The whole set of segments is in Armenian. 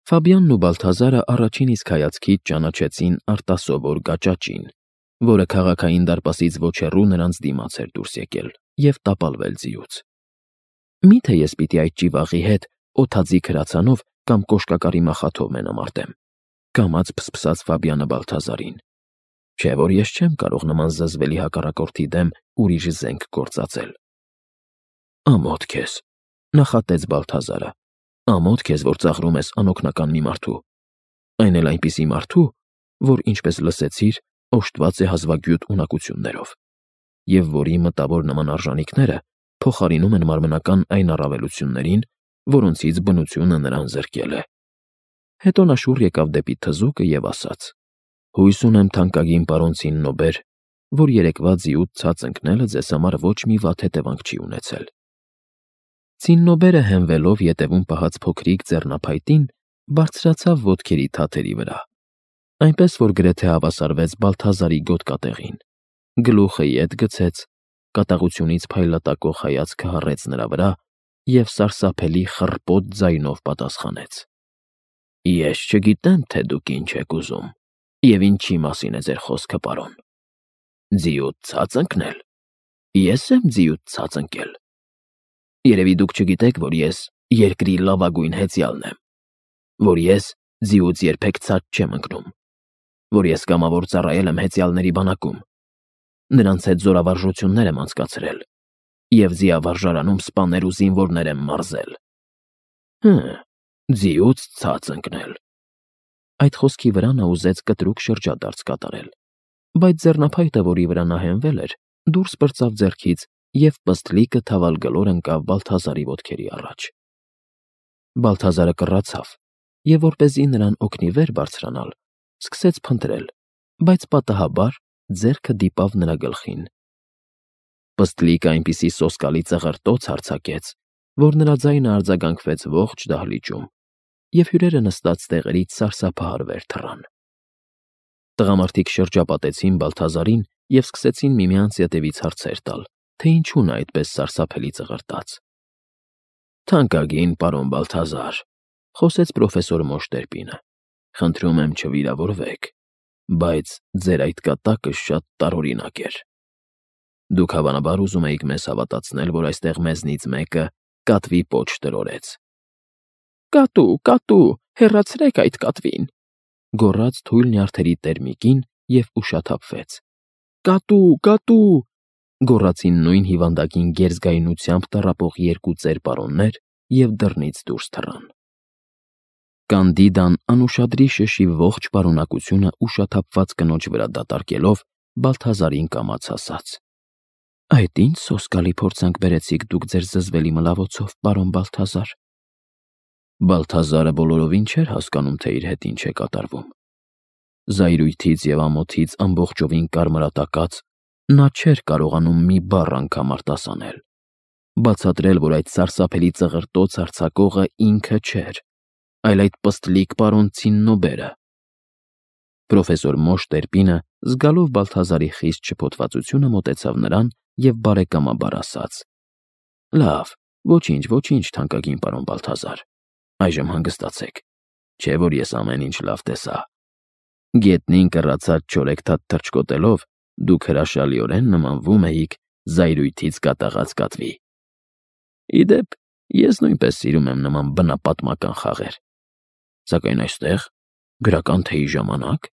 Ֆաբյանն ու Բալթազարը առաջին իսկ հայացքից ճանաչեցին արտասովոր գաճաճին, որը քաղաքային դարպասից ոչ հեռու նրանց դիմաց էր դուրս եկել և տապալվել ձիուց։ Մի՞թե ես պիտի այդ ճիվաղի հետ օդաձիգ հրացանով կամ կոշկակարի մախաթով մենամարտեմ, կամաց փսփսաց Ֆաբյանը Բալթազարին։ Չէ՞ որ ես չեմ կարող նման զզվելի հակառակորդի դեմ ուրիշ զենք գործածել։ Ամոթ քեզ, նախատեց Բալթազարը, ամոթ քեզ, որ ծաղրում ես անօգնական մի մարդու, այն էլ այնպիսի մարդու, որ, ինչպես լսեցիր, օժտված է հազվագյուտ ունակություններով, և որի մտավոր նման արժանիքները փոխարինում են մարմնական այն առավելություններին, որոնցից բնությունը նրան զրկել է։ Հետո նա շուռ եկավ դեպի թզուկը և ասաց. «Հույս ունեմ, թանկագին պարոն Ցիննոբեր, որ երեկվա ձիուց ցած ընկնելը ձեզ համար ոչ մի վատ հետևանք չի ունեցել»։ Ցիննոբերը հենվելով ետևում պահած փոքրիկ ձեռնափայտին, բարձրացավ ոտքերի թաթերի վրա, այնպես որ գրեթե հավասարվեց Բալթազարի գոտկատեղին, գլուխը ետ գցեց, կատաղությունից փայլատակող հայացքը հառեց նրա վրա և սարսափելի խռպոտ ձայնով պատասխանեց. «Ես չգիտեմ, թե դուք ինչ եք ուզում և ինչի մասին է ձեր խոսքը, պարոն։ Ձիուց ցած ընկնել։ Ես եմ ձիուց ցած ընկել։ Երևի դուք չգիտեք, որ ես երկրի լավագույն հեծյալն եմ, որ ես ձիուց երբեք ցած չեմ ընկնում, որ ես կամավոր ծառայել եմ հեծյալների բանակում, նրանց հետ զորավարժություններ եմ անցկացրել և ձիավարժարանում սպաներ ու զինվորներ եմ մարզել։ Ձիուց ցած ընկնել»։ Այդ խոսքի վրա նա ուզեց կտրուկ շրջադարձ կատարել, բայց ձեռնափայտը, որի վրա նա հենվել էր, դուրս պրծավ ձեռքից և պստլիկը թավալգլոր ընկավ Բալթազարի ոտքերի առաջ։ Բալթազարը կռացավ և, որպեսզի նրան օգնի վեր բարձրանալ, սկսեց փնտրել, բայց պատահաբար ձեռքը դիպավ նրա գլխին։ Պստլիկը այնպիսի սոսկալի ծղրտոց արձակեց, որ նրա ձայնը արձագանքվեց ողջ դահլիճում, և հյուրերը նստած տեղերից սարսափահար վեր թռան։ Տղամարդիկ շրջապատեցին Բալթազարին և սկսեցին միմյանց ետևից հարցեր տալ, թե ինչու նա այդպես սարսափելի ծղրտաց։ «Թանկագին պարոն Բալթազար», խոսեց պրոֆեսոր Մոշտերպինը, «խնդրում եմ չվիրավորվեք, բայց ձեր այդ կատակը շատ տարօրինակ էր։ Դուք հավանաբար ուզում էիք մեզ հավատացնել, որ այստեղ մեզնից մեկը կատվի պոչ տրորեց»։ «Կատու, կատու, հեռացրեք այդ կատվին», գոռաց թույլ նյարդերի տեր մի կին և ուշաթափվեց։ «Կատու, կատու», գոռացին նույն հիվանդագին գերզգայունությամբ տառապող երկու ծեր պարոններ և դռնից դուրս թռան։ Կանդիդան անուշադրի շշի ողջ պարունակությունը ուշաթափված կնոջ վրա դատարկելով Բալթազարին կամաց ասաց. «Այդ ի՞նչ սոսկալի փորձանք բերեցիք դուք ձեր զզվելի մլավոցով, պարոն Բալթազար»։ Բալթազարը բոլորովին չէր հասկանում, թե իր հետ ինչ է կատարվում։ Զայրույթից և ամոթից ամբողջովին կարմրատակած, նա չէր կարողանում մի բառ անգամ արտասանել, բացատրել, որ այդ սարսափելի ծղրտոց արձակողը ինքը չէր, այլ այդ պստլիկ պարոն Ցիննոբերը։ Պրոֆեսոր Մոշտերպինը, զգալով Բալթազարի խիստ շփոթվածությունը, մոտեցավ նրան և բարեկամաբար ասաց. «Լավ, ոչինչ, ոչինչ, թանկագին պարոն Բալթազար, այժմ հանգստացեք, չէ՞ որ ես ամեն ինչ լավ տեսա։ Գետնին կռացած չորեքթաթ թռչկոտելով դուք հրաշալիորեն նմանվում էիք զայրույթից կատաղած կատվի։ Ի դեպ, ես նույնպես սիրում եմ նման բնապատմական խաղեր, սակայն այստեղ գրական թեյի ժամանակ։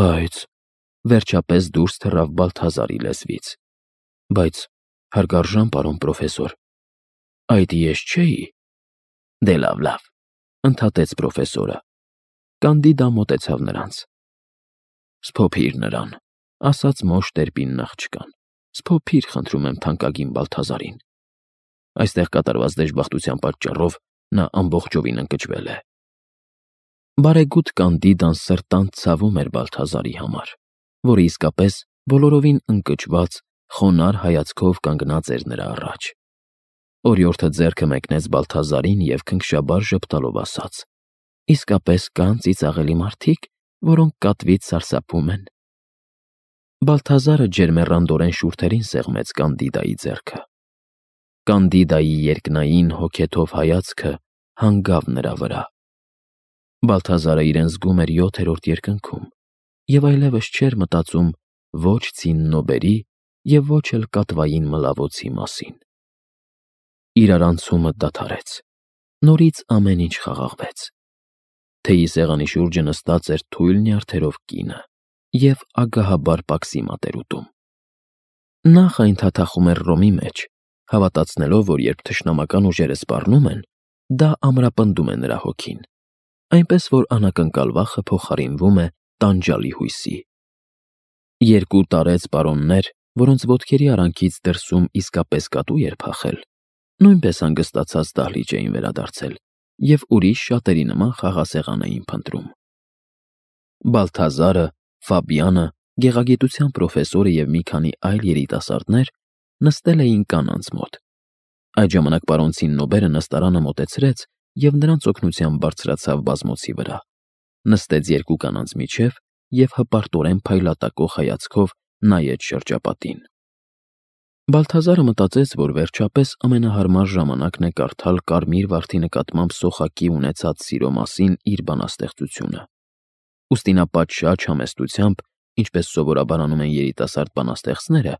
Բայց վերջապես դուրս թռավ Բալթազարի լեզվից. «Բայց հարգարժան պարոն պրոֆեսոր, այդ ես չէի»։ «Դե լավ, լավ», ընդհատեց պրոֆեսորը։ Կանդիդան մոտեցավ նրանց. «Սփոփիր նրան», ասաց Մոշտերպինն աղջկան, «սփոփիր, խնդրում եմ, թանկագին Բալթազարին։ Այստեղ կատարված դժբախտության պատճառով նա ամբողջովին ընկճվել է»։ Բարեգութ Կանդիդան սրտանց ցավում էր Բալթազարի համար, որը իսկապես բոլորովին ընկճված, խոնարհ հայացքով կանգնած էր նրա առաջ։ Օրիորդը ձեռքը մեկնեց Բալթազարին և քնքշաբար ժպտալով ասաց. «Իսկապես կան ծիծաղելի մարդիկ, որոնք կատվից սարսափում են»։ Բալթազարը ջերմեռանդորեն շուրթերին սեղմեց Կանդիդայի ձեռքը։ Կանդիդայի երկնային հոգեթով հայացքը հանգավ նրա վրա։ Բալթազարը իրեն զգում էր 7-րդ երկնքում և այլևս չէր մտածում ոչ ցիննոբերի և ոչ էլ կատվային մլավոցի մասին։ Իրարանցումը դադարեց։ Նորից ամեն ինչ խաղաղվեց։ Թեյի սեղանի շուրջը նստած էր թույլ նյարդերով կինը և ագահաբար պաքսի մատեր ուտում։ Նախ այն թաթախում էր ռոմի մեջ, հավատացնելով, որ երբ թշնամական ուժերը սպառնում են, դա ամրապնդում է նրա հոգին, այնպես որ անակնկալ վախը փոխարինվում է տանջալի հույսի։ Երկու տարեց պարոններ, որոնց ոտքերի արանքից դրսում իսկապես կատու էր փախել, նույնպես հանգստացած դահլիճ էին վերադարձել և ուրիշ շատերի նման խաղասեղան էին փնտրում։ Բալթազարը, Ֆաբիանը, գեղագիտության պրոֆեսորը և մի քանի այլ երիտասարդներ նստել էին կանանց մոտ։ Այդ ժամանակ պարոն Ցիննոբերը նստարանը մոտեցրեց և նրանց օգնությամբ բարձրացավ բազմոցի վրա, նստեց երկու կանանց միջև և հպարտորեն փայլատակող հայացքով նայեց շրջապատին։ Բալթազարը մտածեց, որ վերջապես ամենահարմար ժամանակն է կարդալ Կարմիր վարդի նկատմամբ Սոխակի ունեցած սիրո մասին իր բանաստեղծությունը։ Ուստի նա պատշաճ համեստությամբ, ինչպես սովորաբար անում են երիտասարդ բանաստեղծները,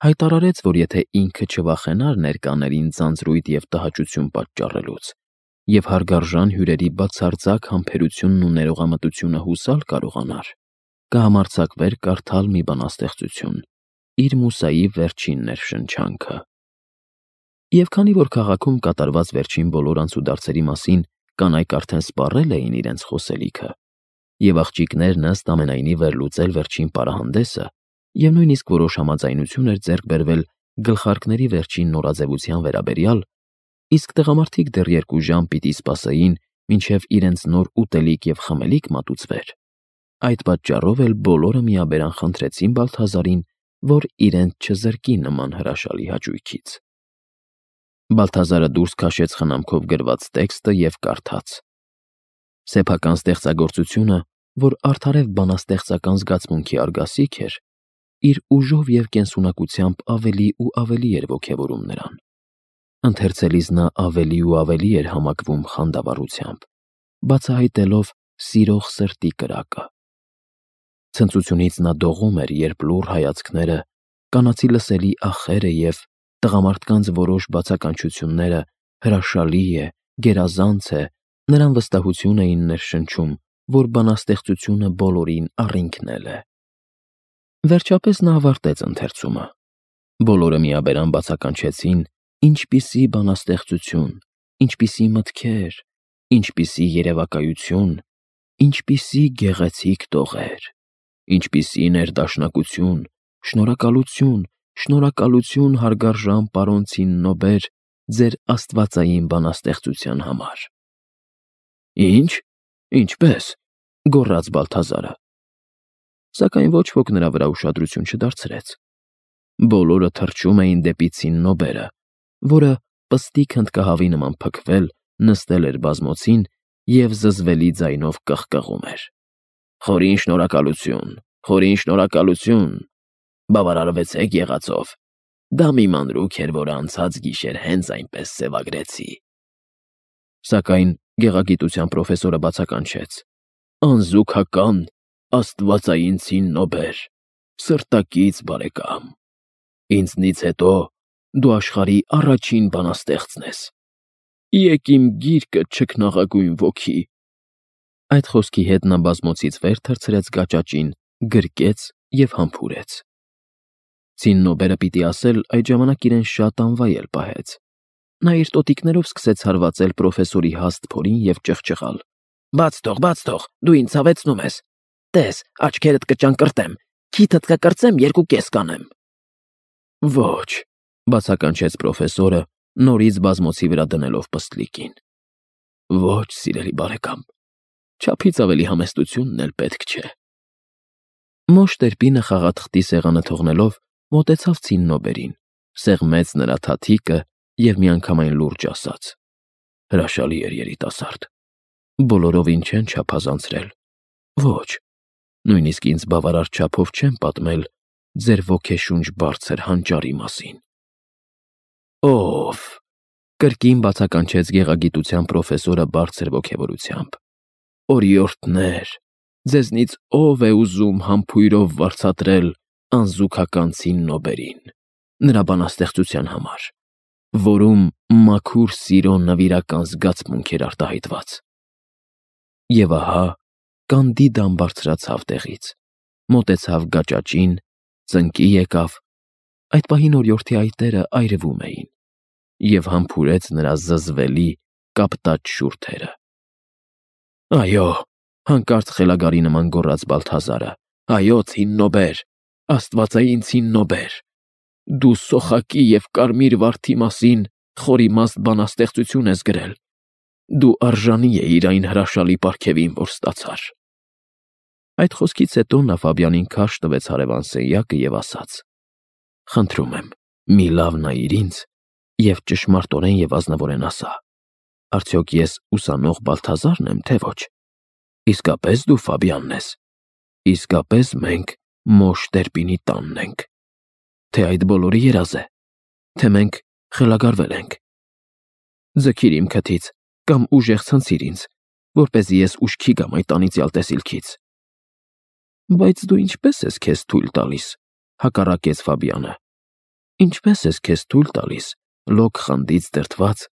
հայտարարեց, որ եթե ինքը չվախենար ներկաներին ձանձրույթ և տհաճություն պատճառելուց, և հարգարժան հյուրերի բացարձակ համբերությունն ու ներողամտությունը հուսալ կարողանար, կհամարձակվեր կարդալ մի բանաստեղծություն, իր մուսայի վերջին ներշնչանքը։ Եվ քանի որ քաղաքում կատարված վերջին բոլոր անցուդարձերի մասին կանայք արդեն սպառել էին իրենց խոսելիքը, և աղջիկներն ըստ ամենայնի վերլուծել վերջին պարահանդեսը, և նույնիսկ որոշ համաձայնություն էր ձեռք բերվել գլխարկների վերջին նորաձևության վերաբերյալ, իսկ տղամարդիկ դեռ 2 ժամ պիտի սպասեին, մինչև իրենց նոր ուտելիք և խմելիք մատուցվեր, այդ պատճառով էլ բոլորը միաբերան խնդրեցին Բալթազարին, որ իրենց չզրկի նման հրաշալի հաճույքից։ Բալթազարը դուրս քաշեց խնամքով գրված տեքստը և կարդաց. Սեփական ստեղծագործությունը, որ արդարև բանաստեղծական զգացմունքի արգասիք էր, իր ուժով և կենսունակությամբ ավելի ու ավելի էր ոգևորում նրան։ Ընթերցելիս նա ավելի ու ավելի էր համակվում խանդավառությամբ, բացահայտելով սիրող սրտի կրակը։ Ցնծությունից նա դողում էր, երբ լուռ հայացքները, կանացի լսելի ախերը և տղամարդկանց որոշ բացականչությունները հրաշալի է, գերազանց է, նրան վստահություն էին ներշնչում, որ բանաստեղծությունը բոլորին առինքնել է։ Վերջապես նա ավարտեց ընթերցումը։ Բոլորը միաբերան բացականչեցին. ինչպիսի բանաստեղծություն, ինչպիսի մտքեր, ինչպիսի երևակայություն, ինչպիսի գեղեցիկ տողեր, ինչպիսի ներդաշնակություն, շնորհակալություն, շնորհակալություն հարգարժան պարոն Ցիննոբեր, ձեր աստվածային բանաստեղծության համար։ Ինչ, ինչպես, գոռաց Բալթազարը։ Սակայն ոչ ոք նրա վրա ուշադրություն չդարձրեց։ Բոլորը թռչում էին դեպի Ցիննոբերը, որը պստիկ հնդկահավի նման փքվել նստել էր բազմոցին և զզվելի ձայնով կղկղում էր. Խորին շնորհակալություն, խորին շնորհակալություն, բավարարվեցեք եղածով, դա մի մանրուք էր, որ անցած գիշեր հենց այնպես սևագրեցի։ Սակայն գեղագիտության պրոֆեսորը բացականչեց. Անզուգական, աստվածային Ցիննոբեր, սրտակից բարեկամ, ինձնից հետո դու աշխարհի առաջին բանաստեղծն ես։ Եկ իմ գիրկը չքնաղագույն ոգի։ Այդ խոսքի հետ նա բազմոցից վեր թռցրեց գաճաճին, գրկեց և համբուրեց։ Ցիննոբերը պիտի ասել այդ ժամանակ իրեն շատ անվայել պահեց։ Նա իր տոտիկներով սկսեց հարվածել պրոֆեսորի հաստ փորին և ճղճղալ. Բաց թող, դու ինձ ցավեցնում ես։ Տես, աչքերդ կճանկռտեմ, քիթդ կկրծեմ, 2.5 կանեմ։ Ոչ, բացականչեց պրոֆեսորը, նորից բազմոցի վրա դնելով պստլիկին։ Ոչ, սիրելի բարեկամ, չափից ավելի համեստությունն էլ պետք չէ։ Մոշ Տերպինը խաղաթղթի սեղանը թողնելով մոտեցավ Ցիննոբերին, սեղմեց նրա թաթիկը և միանգամայն լուրջ ասաց. Հրաշալի էր երիտասարդ, բոլորովին չեն չափազանցրել։ Ոչ, նույնիսկ ինձ բավարար չափով չեն պատմել ձեր ոգեշունչ բարձր հանճարի մասին։ Ով, կրկին բացականչեց գեղագիտության պրոֆեսորը բարձր ոգևորությամբ։ օրիորդներ, ձեզնից ով է ուզում համբույրով վարձատրել անզուգական ցիննոբերին, նրա բանաստեղծության համար, որում մաքուր սիրո նվիրական զգացմունք էր արտահայտված։ Եվ ահա Կանդիդան բարձրացավ տեղից, մոտեցավ գաճաճին, ծնկի եկավ, այդ պահին օրիորդի այտերը այրվում էին, և համբուրեց նրա զզվելի կապտած շուրթերը։ Այո, հանկարծ խելագարի նման գոռաց Բալթազարը, այո, ցիննոբեր, աստվածային ցիննոբեր, դու սոխակի և կարմիր վարդի մասին խորիմաստ բանաստեղծություն ես գրել, դու արժանի էիր այն հրաշալի պարգևին, որ ստացար։ Այդ խոսքից հետո նա Ֆաբյանին քարշ տվեց հարևան սենյակը և ասաց. «Խնդրում եմ, մի լավ նայիր ինձ և ճշմարտորեն և ազնվորեն ասա, արդյոք ես ուսանող Բալթազարն եմ, թե ոչ։ Իսկապես դու Ֆաբյանն ես, իսկապես մենք Մոշ Տերպինի տանն ենք, թե այդ բոլորը երազ է, թե մենք խելագարվել ենք։ Ձգիր իմ քթից կամ ուժեղ ցնցիր ինձ, որպեսզի ես ուշքի գամ այդ անիծյալ տեսիլքից»։ Բայց դու ինչպե՞ս ես քեզ թույլ տալիս, հակառակեց Ֆաբյանը։ Ինչպե՞ս ես քեզ թույլ տալիս, լոկ խանդից դրդված,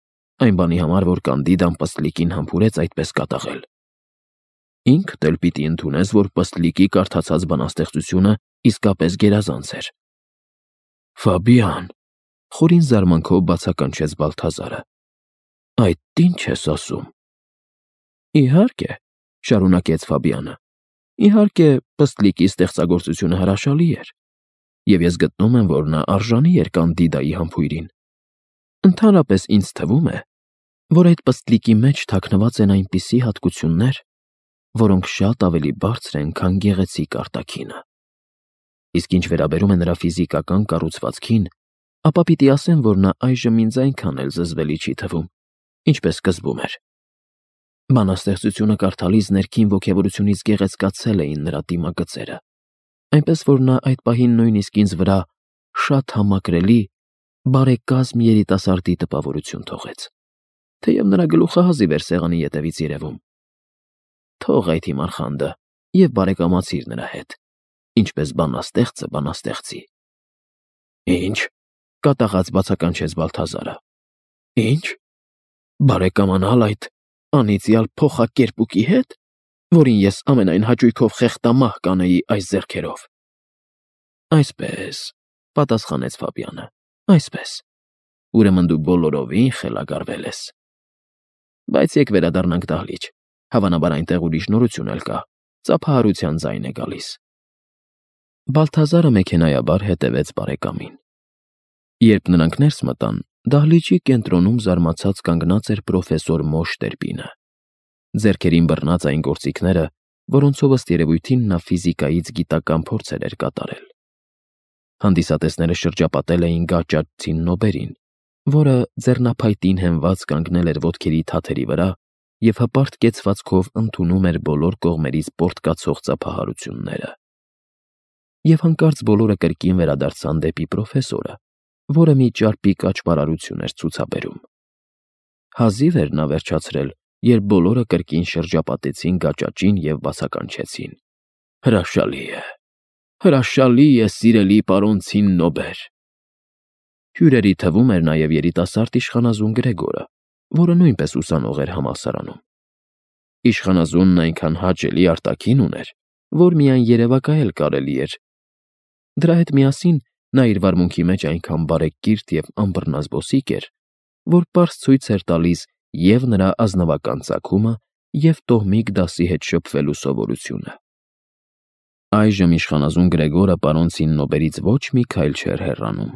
այն բանի համար, որ Կանդիդան Պստլիկին համբուրեց այդպես կատաղել։ Ինքդ էլ պիտի ընդունես, որ Պստլիկի կարդացած բանաստեղծությունը իսկապես գերազանց էր։ Ֆաբյան, խորին զարմանքով բացականչեց Բալթազարը, այդ ինչ ես ասում։ Իհարկե, շարունակեց Ֆաբյանը, իհարկե Պստլիկի ստեղծագործությունը հրաշալի էր, և ես գտնում եմ, որ նա արժանի էր Կանդիդայի համբույրին։ Ընդհանրապես ինձ թվում է, որ այդ Պստլիկի մեջ թաքնված են այնպիսի հատկություններ, որոնք շատ ավելի բարձր են, քան գեղեցիկ արտաքինը։ Իսկ ինչ վերաբերում է նրա ֆիզիկական կառուցվածքին, ապա պիտի ասեմ, որ նա այժմ ինձ այնքան էլ զզվելի չի թվում, ինչպես սկզբում էր։ Բանաստեղծությունը կարդալիս ներքին ոգևորությունից գեղեցկացել էին նրա դիմագծերը, այնպես որ նա այդ պահին նույնիսկ ինձ վրա շատ համակրելի, բարեկազմ երիտասարդի տպավորություն թողեց, թեև նրա գլուխը հազիվ էր սեղանի ետևից երևում։ Թող այդ հիմար խանդը և բարեկամացիր նրա հետ, ինչպես բանաստեղծը բանաստեղծի։ Ինչ, կատաղած բացականչեց Բալթազարը։ Ինչ, բարեկամանալ այդ անիծյալ փոխակերպուկի հետ, որին ես ամենայն հաճույքով խեղդամահ կանեի այս ձեռքերով։ Այսպես, պատասխանեց Ֆաբյանը, այսպես։ Ուրեմն դու բոլորովին խելագարվել ես։ Բայց եկ վերադառնանք դահլիճ, հավանաբար այնտեղ ուրիշ նորություն էլ կա, ծափահարության ձայն է գալիս։ Բալթազարը մեքենայաբար հետևեց բարեկամին։ Երբ նրանք ներս մտան, դահլիճի կենտրոնում զարմացած կանգնած էր պրոֆեսոր Մոշ Տերպինը։ Ձեռքերին բռնած այն գործիքները, որոնցով ըստ երևույթին նա ֆիզիկայից գիտական փորձեր էր կատարել։ Հանդիսատեսները շրջապատել էին գաճաճ ցիննոբերին, որը ձեռնափայտին հենված կանգնել էր ոտքերի թաթերի վրա և հպարտ կեցվածքով ընդունում էր բոլոր կողմերից պոռթկացող ծափահարությունները։ Եվ հանկարծ բոլորը կրկին վերադարձան դեպի պրոֆեսորը, որը մի ճարպիկ աճպարարություն էր ցուցաբերում։ Հազիվ էր նա վերջացրել, երբ բոլորը կրկին շրջապատեցին գաճաճին և բացականչեցին. Հրաշալի է, սիրելի պարոն ցիննոբեր։ Հյուրերի թվում էր նաև երիտասարդ իշխանազուն Գրեգորը, որը նույնպես ուսանող էր համալսարանում։ Իշխանազունն այնքան հաճելի արտաքին ուներ, որ միայն երևակայել կարելի էր։ Դրա հետ միասին նա իր վարմունքի մեջ այնքան բարեկիրթ և անբռնազբոսիկ էր, որ պարզ ցույց էր տալիս և նրա ազնվական ծագումը, և տոհմիկ դասի հետ շփվելու սովորությունը։ Այժմ իշխանազուն Գրեգորը պարոն Ցիննոբերից ոչ մի քայլ չէր հեռանում,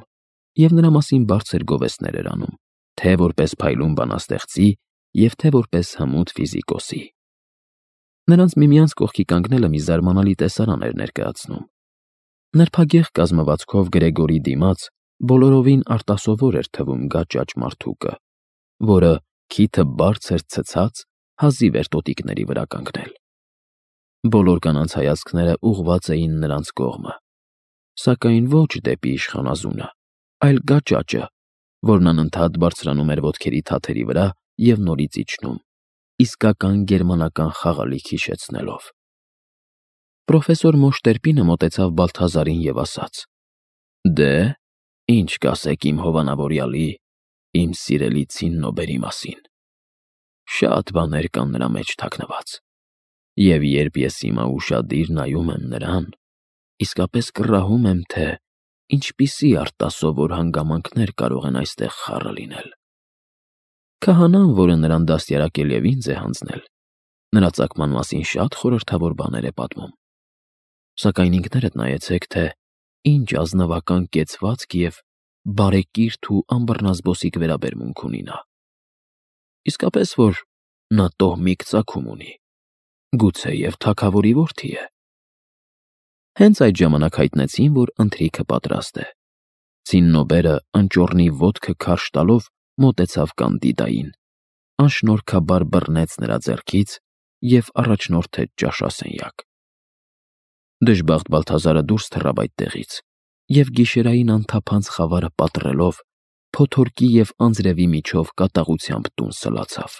և նրա մասին բարձր գովեստներ էր անում, թե որպես փայլուն բանաստեղծի և թե որպես հմուտ ֆիզիկոսի։ Նրանց միմյանց կողքի կանգնելը մի զարմանալի տեսարան էր ներկայացնում։ Նրբագեղ կազմվածքով Գրեգորի դիմաց բոլորովին արտասովոր էր թվում գաճաճ մարդուկը, որը քիթը բարձր ցցած հազիվ էր տոտիկների վրա կանգնել։ Բոլոր կանանց հայացքները ուղղված էին նրանց կողմը, սակայն ոչ դեպի իշխանազունը, այլ գաճաճը, որն անընդհատ բարձրանում էր ոտքերի թաթերի վրա և նորից իջնում, իսկական գերմանական խաղալիք հիշեցնելով։ Պրոֆեսոր Մոշտերպինը մոտեցավ Բալթազարին և ասաց. «Դե, ինչ կասեք իմ հովանավորյալի, իմ սիրելի Ցիննոբերի մասին։ Շատ բաներ կան նրա մեջ թաքնված, և երբ ես հիմա ուշադիր նայում եմ նրան, իսկապես կռահում եմ, թե ինչպիսի արտասովոր հանգամանքներ կարող են այստեղ խառը լինել։ Քահանան, որը նրան դաստիարակել և ինձ է հանձնել, նրա ծագման մասին շատ խորհրդավոր բաներ է պատմում, սակայն ինքներդ նայեցեք, թե ինչ ազնվական կեցվածք և բարեկիրթ ու անբռնազբոսիկ վերաբերմունք ունի նա։ Իսկապես որ նա տոհմիկ ծագում ունի, գուցեև թագավորի որդի է»։ Հենց այդ ժամանակ հայտնեցին, որ ընթրիքը պատրաստ է։ Ցիննոբերը ընճոռնի ոտքը քարշ տալով մոտեցավ Կանդիդային, անշնորհքաբար բռնեց նրա ձեռքից և առաջնորդեց ճաշասենյակ։ Դժբախտ Բալթազարը դուրս թռավ այդտեղից և գիշերային անթափանց խավարը պատռելով, փոթորկի և անձրևի միջով կատաղությամբ տուն սլացավ։